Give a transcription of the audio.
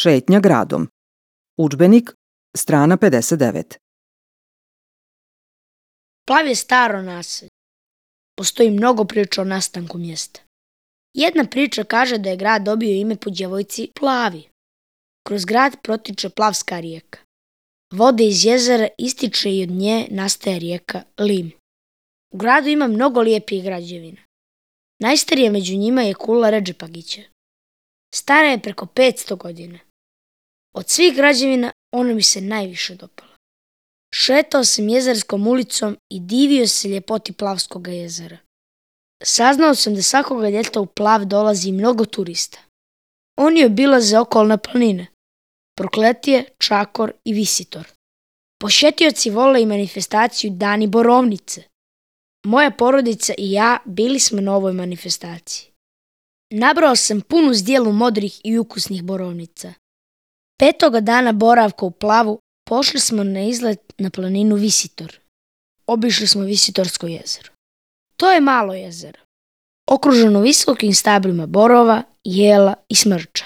Šetnja gradom. Udžbenik, strana 59. Plav je staro naselje. Postoji mnogo priča o nastanku mjesta. Jedna priča kaže da je grad dobio ime po djevojci Plavi. Kroz grad protiče Plavska rijeka. Vode iz jezera ističe i od nje nastaje rijeka Lim. U gradu ima mnogo lijepih građevina. Najstarija među njima je kula Redžepagića. Stara je preko 500 godina. Od svih građevina ona mi se najviše dopala. Šetao sam jezerskom ulicom i divio se ljepoti Plavskog jezera. Saznao sam da svakoga ljeta u Plav dolazi mnogo turista. Oni obilaze okolne planine, Prokletije, Čakor i Visitor. Posjetioci vole i manifestaciju Dani Borovnice. Moja porodica i ja bili smo na ovoj manifestaciji. Nabrao sam punu zdjelu modrih i ukusnih borovnica. 5. dana boravka u Plavu pošli smo na izlet na planinu Visitor. Obišli smo Visitorsko jezero. To je malo jezero, okruženo visokim stablima borova, jela i smrča.